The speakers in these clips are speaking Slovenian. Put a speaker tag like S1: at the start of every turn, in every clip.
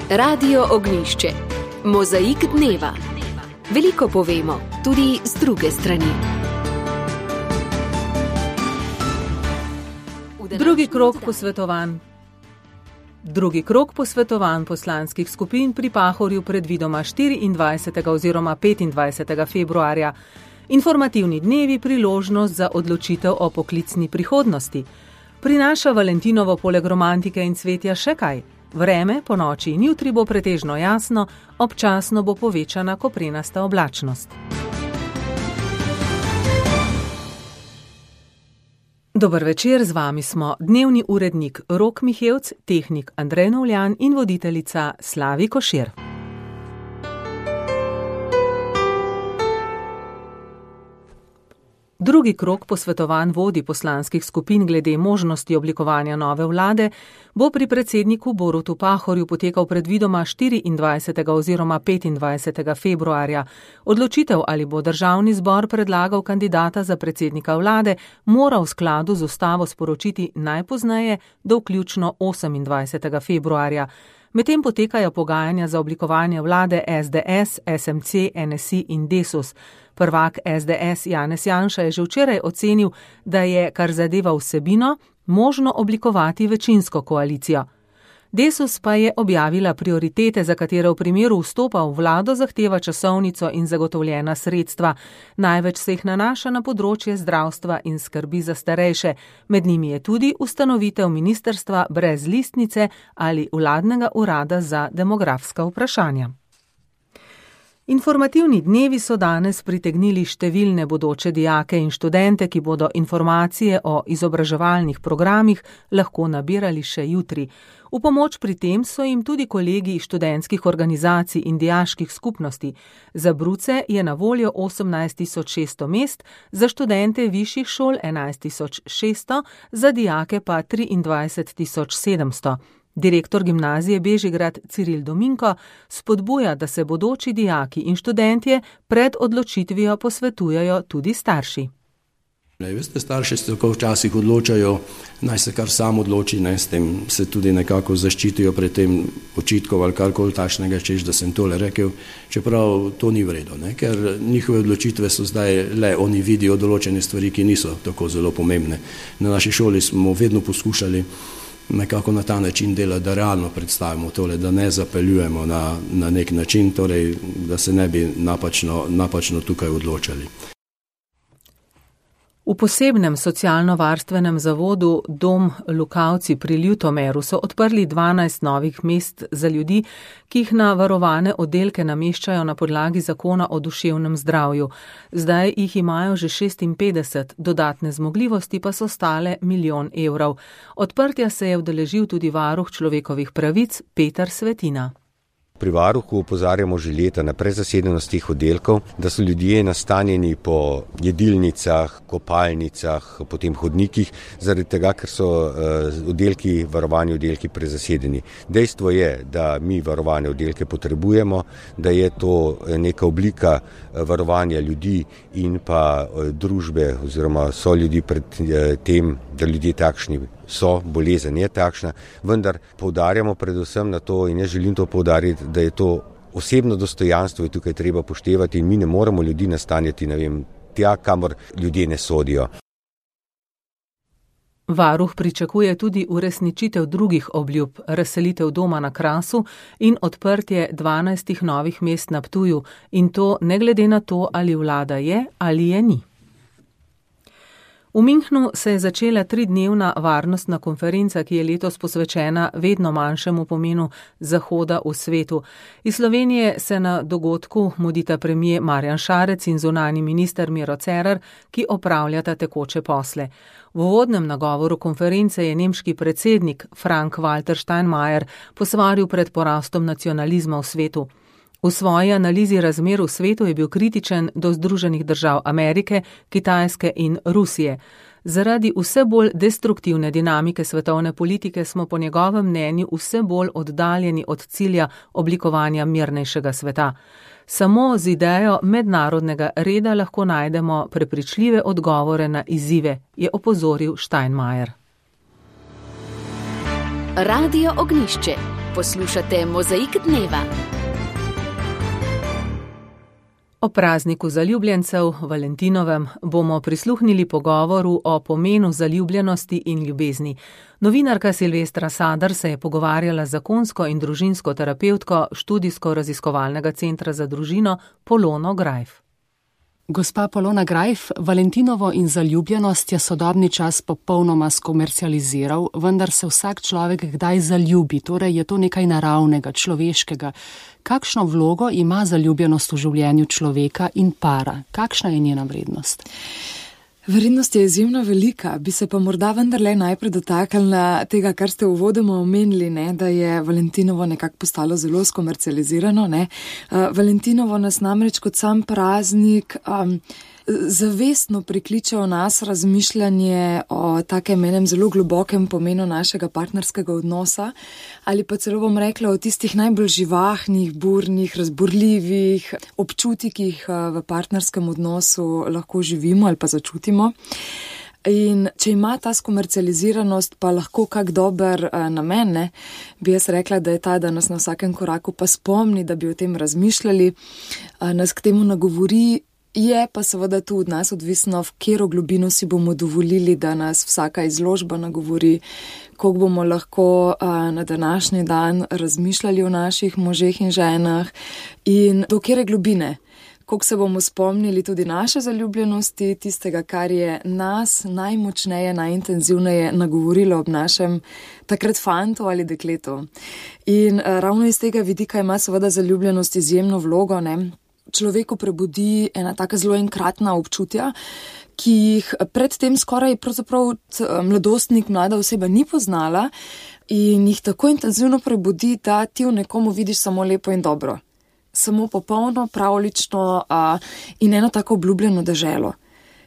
S1: Radio Ognjišče. Mozaik dneva. Veliko povemo, tudi z druge strani.
S2: Drugi krog posvetovanj poslanskih skupin pri Pahorju predvidoma 24. oziroma 25. februarja. Informativni dnevi priložnost za odločitev o poklicni prihodnosti. Prinaša Valentinovo poleg romantike in cvetja še kaj? Vreme po noči in jutri bo pretežno jasno, občasno bo povečana koprenasta oblačnost. Dober večer, z vami smo dnevni urednik Rok Mihevc, tehnik Andrej Novljan in voditeljica Slavi Košir. Drugi krog posvetovanj vodij poslanskih skupin glede možnosti oblikovanja nove vlade bo pri predsedniku Borutu Pahorju potekal predvidoma 24. oziroma 25. februarja. Odločitev, ali bo državni zbor predlagal kandidata za predsednika vlade, mora v skladu z ustavo sporočiti najpozneje do vključno 28. februarja. Medtem potekajo pogajanja za oblikovanje vlade SDS, SMC, NSI in Desus. Prvak SDS Janez Janša je že včeraj ocenil, da je, kar zadeva vsebino, možno oblikovati večinsko koalicijo. Desus pa je objavila prioritete, za katere v primeru vstopa v vlado zahteva časovnico in zagotovljena sredstva. Največ se jih nanaša na področje zdravstva in skrbi za starejše. Med njimi je tudi ustanovitev ministrstva brez listnice ali vladnega urada za demografska vprašanja. Informativni dnevi so danes pritegnili številne bodoče dijake in študente, ki bodo informacije o izobraževalnih programih lahko nabirali še jutri. V pomoč pri tem so jim tudi kolegi študentskih organizacij in dijaških skupnosti. Za bruce je na voljo 18.600 mest, za študente višjih šol 11.600, za dijake pa 23.700. Direktor gimnazije Bežigrad Ciril Dominko spodbuja, da se bodoči dijaki in študentje pred odločitvijo posvetujejo tudi starši.
S3: Veste, starši se tako včasih odločajo, naj se kar sam odloči, s tem se tudi nekako zaščitijo pred tem očitkov ali karkoli takšnega, češ da sem tole rekel, čeprav to ni v redu, ker njihove odločitve so zdaj le, oni vidijo določene stvari, ki niso tako zelo pomembne. Na naši šoli smo vedno poskušali nekako na ta način delati, da realno predstavimo tole, da ne zapeljujemo na nek način, torej da se ne bi napačno tukaj odločali.
S2: V posebnem socialno-varstvenem zavodu Dom Lukavci pri Ljutomeru so odprli 12 novih mest za ljudi, ki jih na varovane oddelke nameščajo na podlagi zakona o duševnem zdravju. Zdaj jih imajo že 56, dodatne zmogljivosti pa so stale 1 milijon evrov. Odprtja se je udeležil tudi varuh človekovih pravic Peter Svetina.
S4: Pri varuhu opozarjamo že leta na prezasedenost teh oddelkov, da so ljudje nastanjeni po jedilnicah, kopalnicah, potem hodnikih, zaradi tega, ker so varovani oddelki prezasedeni. Dejstvo je, da mi varovane oddelke potrebujemo, da je to neka oblika varovanja ljudi in pa družbe oziroma so ljudi pred tem, da ljudje takšni so, bolezen je takšna, vendar poudarjamo predvsem na to in jaz želim to poudariti, da je to osebno dostojanstvo je tukaj treba poštevati in mi ne moremo ljudi nastanjati, tja, kamor ljudje ne sodijo.
S2: Varuh pričakuje tudi uresničitev drugih obljub, razselitev doma na Krasu in odprtje 12 novih mest na Ptuju, in to ne glede na to, ali vlada je ali je ni. V Münchnu se je začela 3-dnevna varnostna konferenca, ki je letos posvečena vedno manjšemu pomenu Zahoda v svetu. Iz Slovenije se na dogodku mudita premier Marjan Šarec in zunanji minister Miro Cerar, ki opravljata tekoče posle. V uvodnem nagovoru konference je nemški predsednik Frank-Walter Steinmeier posvaril pred porastom nacionalizma v svetu. V svoji analizi razmer v svetu je bil kritičen do Združenih držav Amerike, Kitajske in Rusije. Zaradi vse bolj destruktivne dinamike svetovne politike smo po njegovem mnenju vse bolj oddaljeni od cilja oblikovanja mirnejšega sveta. Samo z idejo mednarodnega reda lahko najdemo prepričljive odgovore na izzive, je opozoril Steinmeier.
S1: Radio Ognjišče. Poslušate Mozaik dneva.
S2: O prazniku zaljubljencev, Valentinovem, bomo prisluhnili pogovoru o pomenu zaljubljenosti in ljubezni. Novinarka Silvestra Sadar se je pogovarjala z zakonsko in družinsko terapevtko študijsko-raziskovalnega centra za družino Polono Grajf.
S5: Gospa Polona Grajf, Valentinovo in zaljubljenost je sodobni čas popolnoma skomercializiral, vendar se vsak človek kdaj zaljubi, torej je to nekaj naravnega, človeškega. Kakšno vlogo ima zaljubljenost v življenju človeka in para? Kakšna je njena vrednost?
S6: Vrednost je izjemno velika, bi se pa morda vendarle najprej dotaknila tega, kar ste uvodoma omenili, da je Valentinovo nekako postalo zelo skomercializirano. Valentinovo nas namreč kot sam praznik zavestno prikliče v nas razmišljanje o takem enem zelo globokem pomenu našega partnerskega odnosa ali pa celo bom rekla o tistih najbolj živahnih, burnih, razburljivih občutkih v partnerskem odnosu lahko živimo ali pa začutimo. In če ima ta skomercializiranost pa lahko kak dober namen, bi jaz rekla, da je ta, da nas na vsakem koraku pa spomni, da bi o tem razmišljali, nas k temu nagovori. Je pa seveda tu od nas odvisno, v katero globino si bomo dovolili, da nas vsaka izložba nagovori, koliko bomo lahko na današnji dan razmišljali o naših možeh in ženah in do katere globine, koliko se bomo spomnili tudi naše zaljubljenosti, tistega, kar je nas najmočneje, najintenzivneje nagovorilo ob našem takrat fantu ali dekletu. In ravno iz tega vidika ima seveda zaljubljenost izjemno vlogo, Človeku prebudi ena taka zelo enkratna občutja, ki jih predtem skoraj pravzaprav mladostnik, mlada oseba ni poznala in jih tako intenzivno prebudi, da ti v nekomu vidiš samo lepo in dobro. Samo popolno, pravlično in eno tako obljubljeno deželo.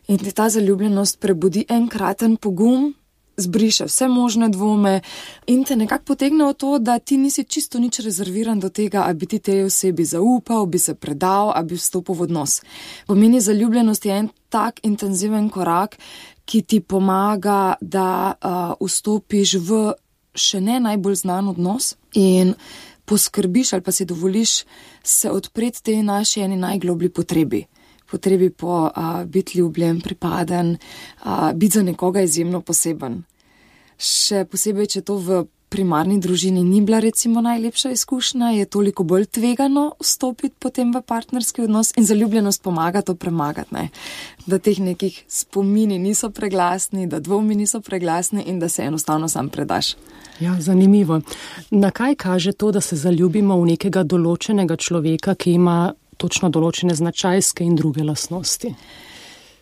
S6: In ti ta zaljubljenost prebudi enkraten pogum, zbriše vse možne dvome in te nekako potegne v to, da ti nisi čisto nič rezerviran do tega, a bi ti tej osebi zaupal, bi se predal, a bi vstopil v odnos. Pomeni zaljubljenost je en tak intenziven korak, ki ti pomaga, da vstopiš v še ne najbolj znan odnos in poskrbiš ali pa si dovoliš se odpreti tej naši eni najgloblji potrebi po biti ljubljen, pripaden, biti za nekoga izjemno poseben. Še posebej, če to v primarni družini ni bila recimo najlepša izkušnja, je toliko bolj tvegano vstopiti potem v partnerski odnos in zaljubljenost pomaga to premagati, da teh nekih spomini niso preglasni, da dvomi niso preglasni in da se enostavno sam predaš.
S5: Ja, zanimivo. Na kaj kaže to, da se zaljubimo v nekega določenega človeka, ki ima točno določene značajske in druge lastnosti?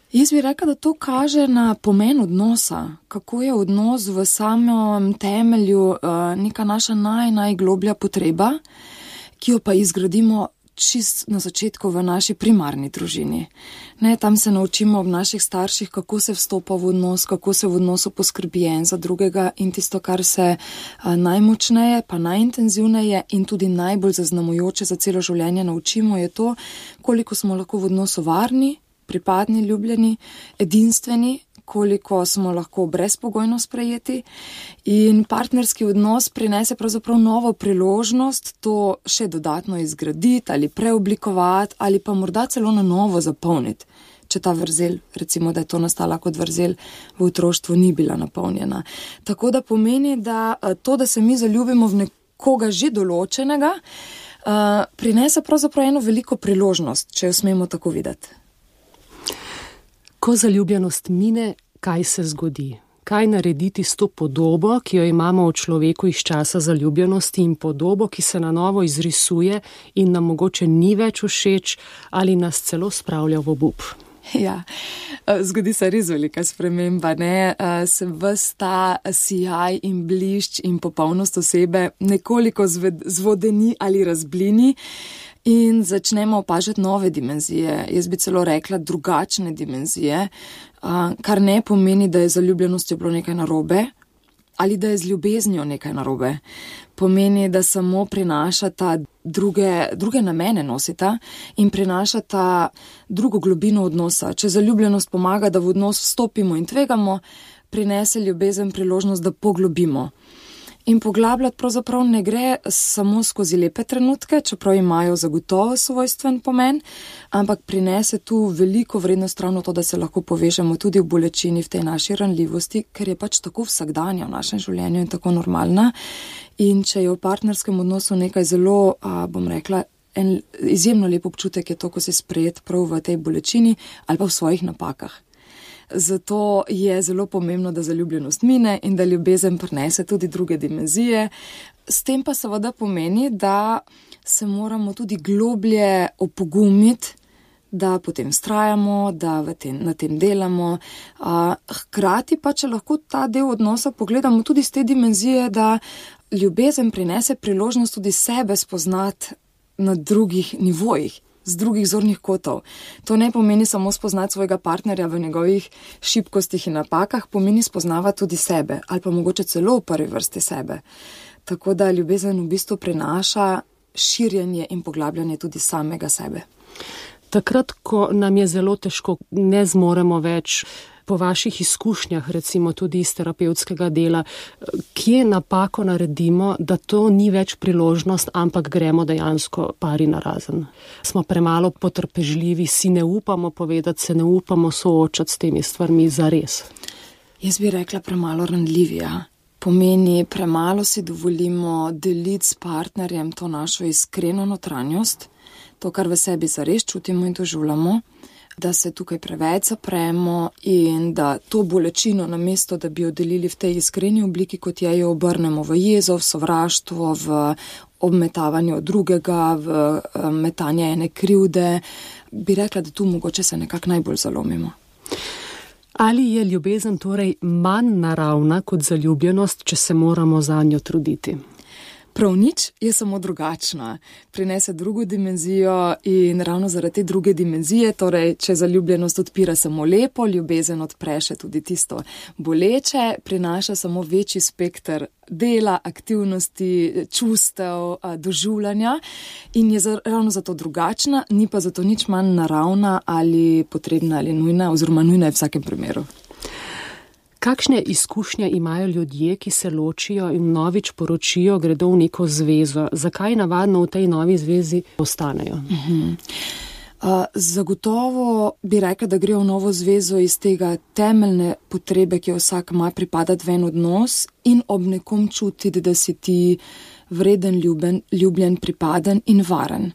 S6: Jaz bi rekla, da to kaže na pomen odnosa, kako je odnos v samem temelju neka naša najgloblja potreba, ki jo pa izgradimo čist na začetku v naši primarni družini. Tam se naučimo ob naših starših, kako se vstopa v odnos, kako se v odnosu poskrbi en za drugega in tisto, kar se najmočneje, pa najintenzivneje in tudi najbolj zaznamujoče za celo življenje naučimo, je to, koliko smo lahko v odnosu varni, pripadni, ljubljeni, edinstveni, koliko smo lahko brezpogojno sprejeti in partnerski odnos prinese pravzaprav novo priložnost to še dodatno izgraditi ali preoblikovati ali pa morda celo na novo zapolniti, če ta vrzel, recimo, da je to nastala kot vrzel v otroštvu, ni bila napolnjena. Tako da pomeni, da to, da se mi zaljubimo v nekoga že določenega, prinese pravzaprav eno veliko priložnost, če jo smemo tako videti.
S5: Ko zaljubljenost mine, kaj se zgodi? Kaj narediti s to podobo, ki jo imamo v človeku iz časa zaljubljenosti in podobo, ki se na novo izrisuje in nam mogoče ni več všeč ali nas celo spravlja v obup?
S6: Ja, zgodi se res velika sprememba, se ves ta sijaj in blišč in popolnost osebe nekoliko zvodeni ali razblini in začnemo opažati nove dimenzije, jaz bi celo rekla drugačne dimenzije, kar ne pomeni, da je zaljubljenostjo bilo nekaj narobe ali da je z ljubeznijo nekaj narobe. Pomeni, da samo prinašata druge namene nosita in prinašata drugo globino odnosa. Če zaljubljenost pomaga, da v odnos vstopimo in tvegamo, prinese ljubezen priložnost, da poglobimo. In poglabljati pravzaprav ne gre samo skozi lepe trenutke, čeprav imajo zagotovo svojstven pomen, ampak prinese tu veliko vrednost ravno to, da se lahko povežemo tudi v bolečini, v tej naši ranljivosti, ker je pač tako vsakdanja v našem življenju in tako normalna. In če je v partnerskem odnosu nekaj zelo, bom rekla, en izjemno lep občutek je to, ko si sprejet prav v tej bolečini ali pa v svojih napakah. Zato je zelo pomembno, da zaljubljenost mine in da ljubezen prinese tudi druge dimenzije. S tem pa seveda pomeni, da se moramo tudi globlje opogumiti, da potem vztrajamo, da na tem delamo. Hkrati pa, če lahko ta del odnosa pogledamo tudi z te dimenzije, da ljubezen prinese priložnost tudi sebe spoznati na drugih nivojih, z drugih zornih kotov. To ne pomeni samo spoznati svojega partnerja v njegovih šibkostih in napakah, pomeni spoznavati tudi sebe ali pa mogoče celo v prvi vrsti sebe. Tako da ljubezen v bistvu prinaša širjenje in poglabljanje tudi samega sebe.
S5: Takrat, ko nam je zelo težko, ne zmoremo več, po vaših izkušnjah, recimo tudi iz terapevtskega dela, kje napako naredimo, da to ni več priložnost, ampak gremo dejansko pari narazen. Smo premalo potrpežljivi, si ne upamo povedati, se ne upamo soočati s temi stvarmi zares.
S6: Jaz bi rekla premalo ranljivi, pomeni premalo si dovolimo deliti s partnerjem to našo iskreno notranjost, to, kar v sebi zares čutimo in doživljamo, da se tukaj preveč zapremo in da to bolečino namesto, da bi jo delili v tej iskreni obliki, kot je, jo obrnemo v jezo, v sovraštvo, v obmetavanje drugega, v metanje ene krivde, bi rekla, da tu mogoče se nekako najbolj zalomimo.
S5: Ali je ljubezen torej manj naravna kot zaljubljenost, če se moramo zanjo truditi?
S6: Prav nič je samo drugačna, prinese drugo dimenzijo in ravno zaradi te druge dimenzije, torej če zaljubljenost odpira samo lepo, ljubezen odpre še tudi tisto boleče, prinaša samo večji spekter dela, aktivnosti, čustev, doživljanja in je ravno zato drugačna, ni pa zato nič manj naravna ali potrebna ali nujna, oziroma nujna je v vsakem primeru.
S5: Kakšne izkušnje imajo ljudje, ki se ločijo in novič poročijo, gredo v neko zvezo? Zakaj navadno v tej novi zvezi ostanejo?
S6: Zagotovo bi rekla, da grejo v novo zvezo iz tega temeljne potrebe, ki jo vsak ima, pripadati v en odnos in ob nekom čutiti, da si ti vreden, ljubljen, pripaden in varen.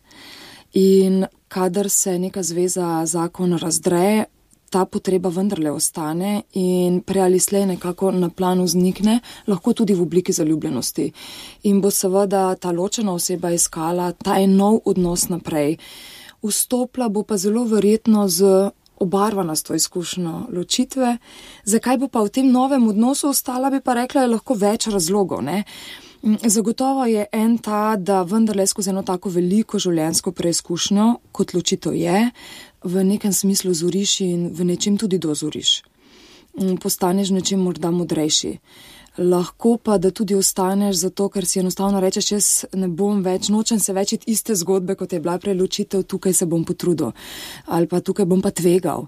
S6: In kadar se neka zveza, zakon razdre, ta potreba vendarle ostane in prej ali slej nekako na planu vznikne, lahko tudi v obliki zaljubljenosti. In bo seveda ta ločena oseba iskala ta nov odnos naprej. Vstopila bo pa zelo verjetno z obarvana s to izkušnjo ločitve. Zakaj bo pa v tem novem odnosu ostala, bi pa rekla, je lahko več razlogov, ne? Zagotovo je en ta, da vendarle skozi eno tako veliko življenjsko preizkušnjo, kot ločitev je, v nekem smislu zoriš in v nečem tudi dozoriš. Postaneš nečem morda modrejši. Lahko pa, da tudi ostaneš zato, ker si enostavno rečeš, jaz ne bom več, nočem se več iste zgodbe, kot je bila prej ločitev, tukaj se bom potrudil ali pa tukaj bom pa tvegal.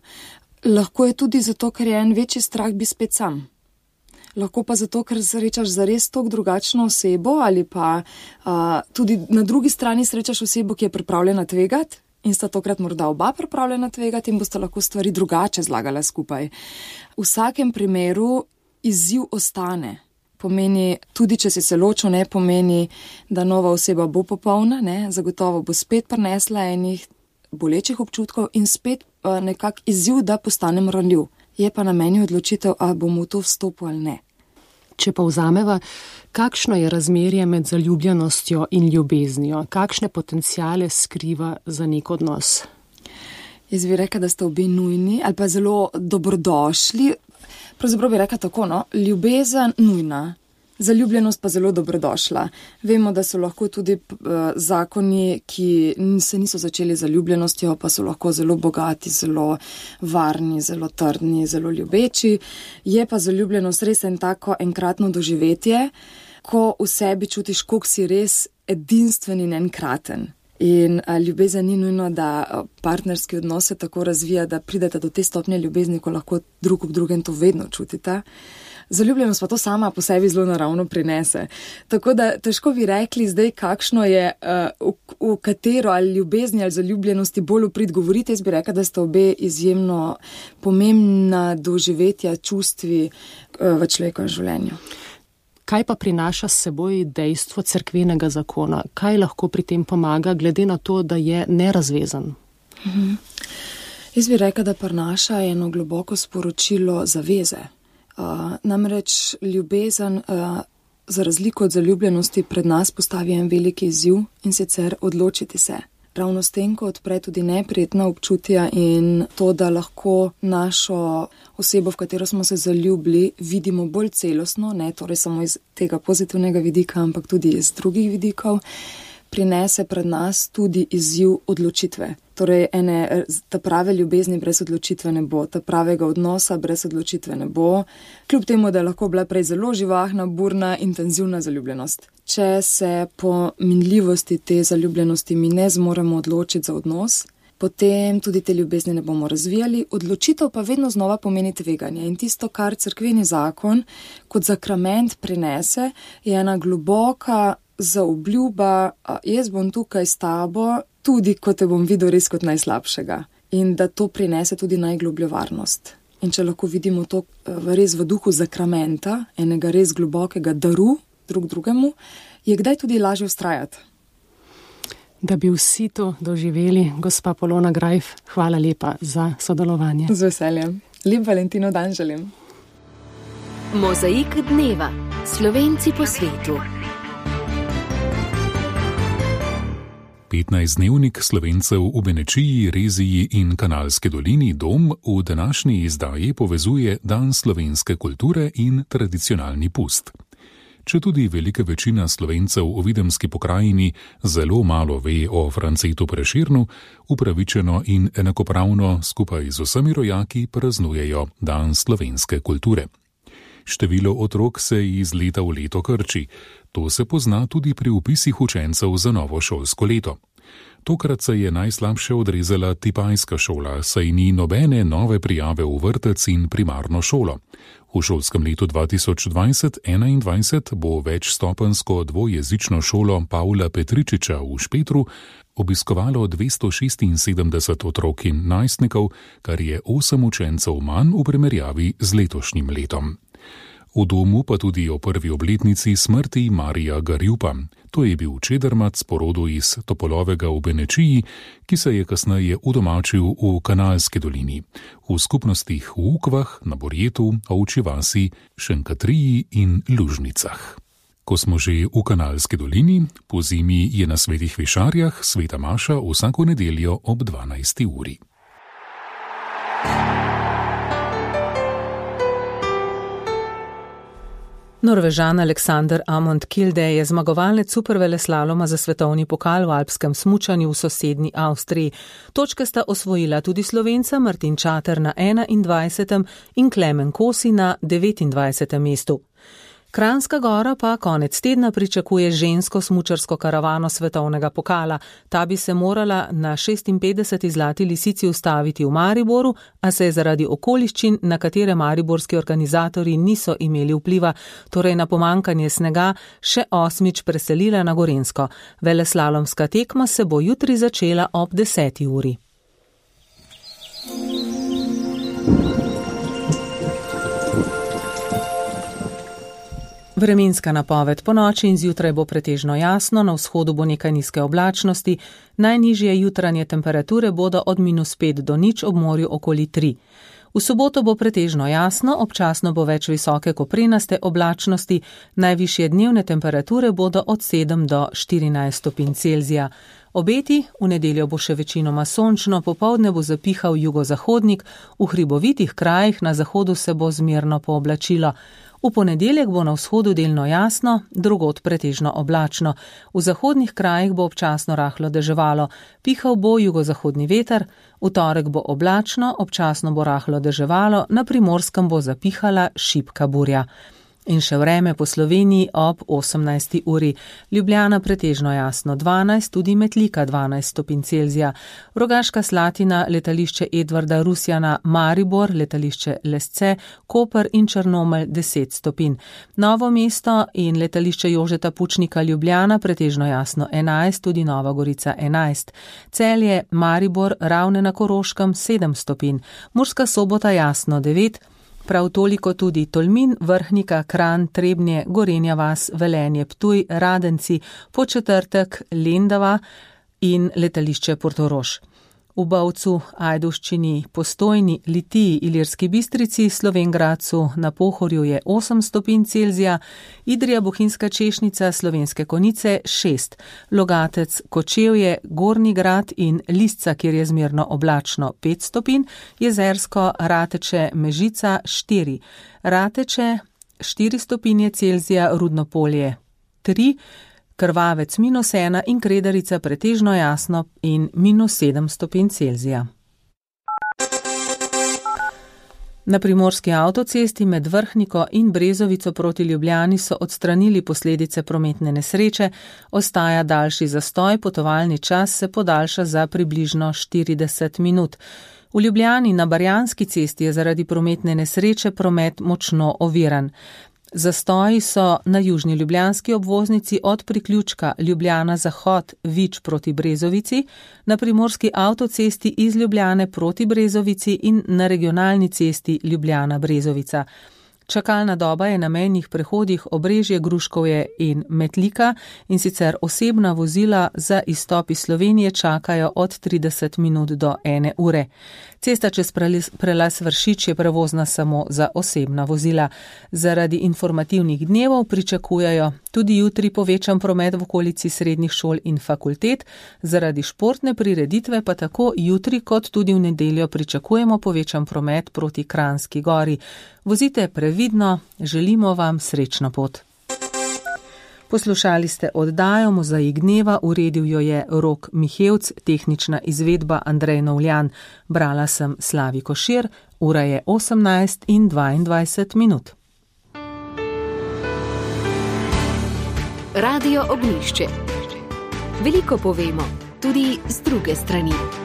S6: Lahko je tudi zato, ker je en večji strah biti spet sam. Lahko pa zato, ker srečaš zares toliko drugačno osebo ali pa tudi na drugi strani srečaš osebo, ki je pripravljena tvegati in sta tokrat morda oba pripravljena tvegati in boste lahko stvari drugače zlagala skupaj. V vsakem primeru izziv ostane. Pomeni, tudi če si se ločil, ne pomeni, da nova oseba bo popolna, ne, zagotovo bo spet prinesla enih bolečih občutkov in spet nekak izziv, da postanem ranljiv. Je pa na meni odločitev, ali bom v to vstopil ali ne.
S5: Če pa vzameva, kakšno je razmerje med zaljubljenostjo in ljubeznijo? Kakšne potencijale skriva za nek odnos?
S6: Jaz bi rekla, da sta obe nujni ali pa zelo dobrodošli. Pravzaprav bi rekla tako, ljubezen nujna, zaljubljenost pa zelo dobrodošla. Vemo, da so lahko tudi zakoni, ki se niso začeli z zaljubljenostjo, pa so lahko zelo bogati, zelo varni, zelo trdni, zelo ljubeči. Je pa zaljubljenost res en tako enkratno doživetje, ko v sebi čutiš, koliko si res edinstven in enkraten. In ljubezen ni nujno, da partnerski odnos se tako razvija, da pridete do te stopnje ljubezni, ko lahko drug ob drugem to vedno čutite. Zaljubljenost pa to sama po sebi zelo naravno prinese. Tako da težko bi rekli zdaj, kakšno je, v katero ali ljubezni ali zaljubljenosti bolj uprit govoriti. Jaz bi rekla, da sta obe izjemno pomembna doživetja čustvi v človekovem življenju.
S5: Kaj pa prinaša s seboj dejstvo cerkvenega zakona? Kaj lahko pri tem pomaga, glede na to, da je nerazvezan?
S6: Jaz bi rekla, da prinaša eno globoko sporočilo zaveze. Namreč ljubezen, za razliko od zaljubljenosti, pred nas postavi en veliki izziv, in sicer odločiti se. Ravno s tem, ko odpre tudi neprijetna občutja in to, da lahko našo osebo, v katero smo se zaljubili, vidimo bolj celostno, ne torej samo iz tega pozitivnega vidika, ampak tudi iz drugih vidikov, prinese pred nas tudi izziv odločitve. Torej, ta prave ljubezni brez odločitve ne bo, ta pravega odnosa brez odločitve ne bo, kljub temu, da je lahko bila prej zelo živahna, burna, intenzivna zaljubljenost. Če se po minljivosti te zaljubljenosti mi ne zmoremo odločiti za odnos, potem tudi te ljubezni ne bomo razvijali. Odločitev pa vedno znova pomeni tveganje. In tisto, kar cerkveni zakon kot zakrament prinese, je ena globoka zaobljuba, jaz bom tukaj s tabo, tudi ko te bom videl res kot najslabšega. In da to prinese tudi najglobljo varnost. In če lahko vidimo to res v duhu zakramenta, enega res globokega daru drug drugemu, je kdaj tudi lažje vztrajati.
S5: Da bi vsi to doživeli, gospa Polona Grajf, hvala lepa za sodelovanje.
S6: Z veseljem. Lep Valentinov dan želim.
S1: Mozaik dneva. Slovenci po svetu.
S7: 15-dnevnik Slovencev v Benečiji, Reziji in Kanalski dolini Dom v današnji izdaji povezuje Dan slovenske kulture in tradicionalni pust. Četudi velika večina Slovencev v Videmski pokrajini zelo malo ve o Francetu Prešernu, upravičeno in enakopravno skupaj z vsemi rojaki praznujejo Dan slovenske kulture. Število otrok se iz leta v leto krči. To se pozna tudi pri vpisih učencev za novo šolsko leto. Tokrat se je najslabše odrezala Tipajska šola, saj ni nobene nove prijave v vrtec in primarno šolo. V šolskem letu 2020-2021 bo večstopensko dvojezično šolo Pavla Petričiča v Špetru obiskovalo 276 otrok in najstnikov, kar je 8 učencev manj v primerjavi z letošnjim letom. V domu pa tudi o prvi obletnici smrti Marija Garjupa. To je bil čedermac po rodu iz Topolovega v Benečiji, ki se je kasneje udomačil v Kanalski dolini, v skupnostih v Ukvah, na Borjetu, Ovčji vasi, Šenkatriji in Lužnicah. Ko smo že v Kanalski dolini, po zimi je na Svetih Višarjah sveta maša vsako nedeljo ob 12. uri.
S2: Norvežan Alexander Amund Kilde je zmagovalec superveleslaloma za svetovni pokal v alpskem smučanju v sosednji Avstriji. Točke sta osvojila tudi Slovenca Martin Čater na 21. in Klemen Kosi na 29. mestu. Kranjska Gora pa konec tedna pričakuje žensko smučarsko karavano svetovnega pokala. Ta bi se morala na 56. Zlati lisici ustaviti v Mariboru, a se je zaradi okoliščin, na katere mariborski organizatorji niso imeli vpliva, torej na pomankanje snega, še 8. preselila na Gorenjsko. Veleslalomska tekma se bo jutri začela ob 10. uri. Vremenska napoved: po noči in zjutraj bo pretežno jasno, na vzhodu bo nekaj nizke oblačnosti, najnižje jutranje temperature bodo od -5 do 0, ob morju okoli 3. V soboto bo pretežno jasno, občasno bo več visoke koprenaste oblačnosti, najvišje dnevne temperature bodo od 7 do 14 stopinj Celzija. Obeti: v nedeljo bo še večinoma sončno, popoldne bo zapihal jugozahodnik, v hribovitih krajih na zahodu se bo zmerno pooblačilo. V ponedeljek bo na vzhodu delno jasno, drugod pretežno oblačno. V zahodnih krajih bo občasno rahlo deževalo, pihal bo jugozahodni veter, v torek bo oblačno, občasno bo rahlo deževalo, na Primorskem bo zapihala šibka burja. In še vreme po Sloveniji ob 18. uri. Ljubljana pretežno jasno 12, tudi Metlika 12 stopinj Celzija. Rogaška Slatina, letališče Edvarda Rusjana, Maribor, letališče Lesce, Koper in Črnomelj 10 stopinj. Novo mesto in letališče Jožeta Pučnika Ljubljana pretežno jasno 11, tudi Nova Gorica 11. Celje, Maribor, Ravne na Koroškem 7 stopinj. Murska Sobota jasno 9. Prav toliko tudi Tolmin, Vrhnika, Kranj, Trebnje, Gorenja vas, Velenje, Ptuj, Radenci, Podčetrtek, Lendava in letališče Portorož. V Bovcu, Ajdovščini, Postojni, Litiji, Ilirski Bistrici, Slovenj Gradcu, na Pohorju je 8 stopinj Celzija, Idrija, Bohinjska Češnica, Slovenske Konjice 6, Logatec, Kočevje, Gornji Grad in Lisca, kjer je zmerno oblačno 5 stopinj, Jezersko, Rateče, Mežica 4, Rateče 4 stopinje Celzija, Rudno Polje 3, Krvavec -1 in Kredarica pretežno jasno in -7 stopinj Celzija. Na primorski avtocesti med Vrhniko in Brezovico proti Ljubljani so odstranili posledice prometne nesreče, ostaja daljši zastoj, potovalni čas se podaljša za približno 40 minut. V Ljubljani na Barjanski cesti je zaradi prometne nesreče promet močno oviran. Zastoji so na južni ljubljanski obvoznici od priključka Ljubljana Zahod Vič proti Brezovici, na primorski avtocesti iz Ljubljane proti Brezovici in na regionalni cesti Ljubljana Brezovica. Čakalna doba je na mejnih prehodih Obrežje, Gruškovje in Metlika, in sicer osebna vozila za izstop iz Slovenije čakajo od 30 minut do 1 ure. Cesta čez prelaz Vršič je prevozna samo za osebna vozila. Zaradi informativnih dnevov pričakujejo tudi jutri povečan promet v okolici srednjih šol in fakultet, zaradi športne prireditve pa tako jutri kot tudi v nedeljo pričakujemo povečan promet proti Kranjski Gori. Vozite previdno, želimo vam srečno pot. Poslušali ste oddajo Mozaik dneva, uredil jo je Rok Mihevc, tehnična izvedba Andrej Novljan. Brala sem Slavi Košir, ura je 18:22 minut.
S1: Radio Ognjišče. Veliko povemo, tudi z druge strani.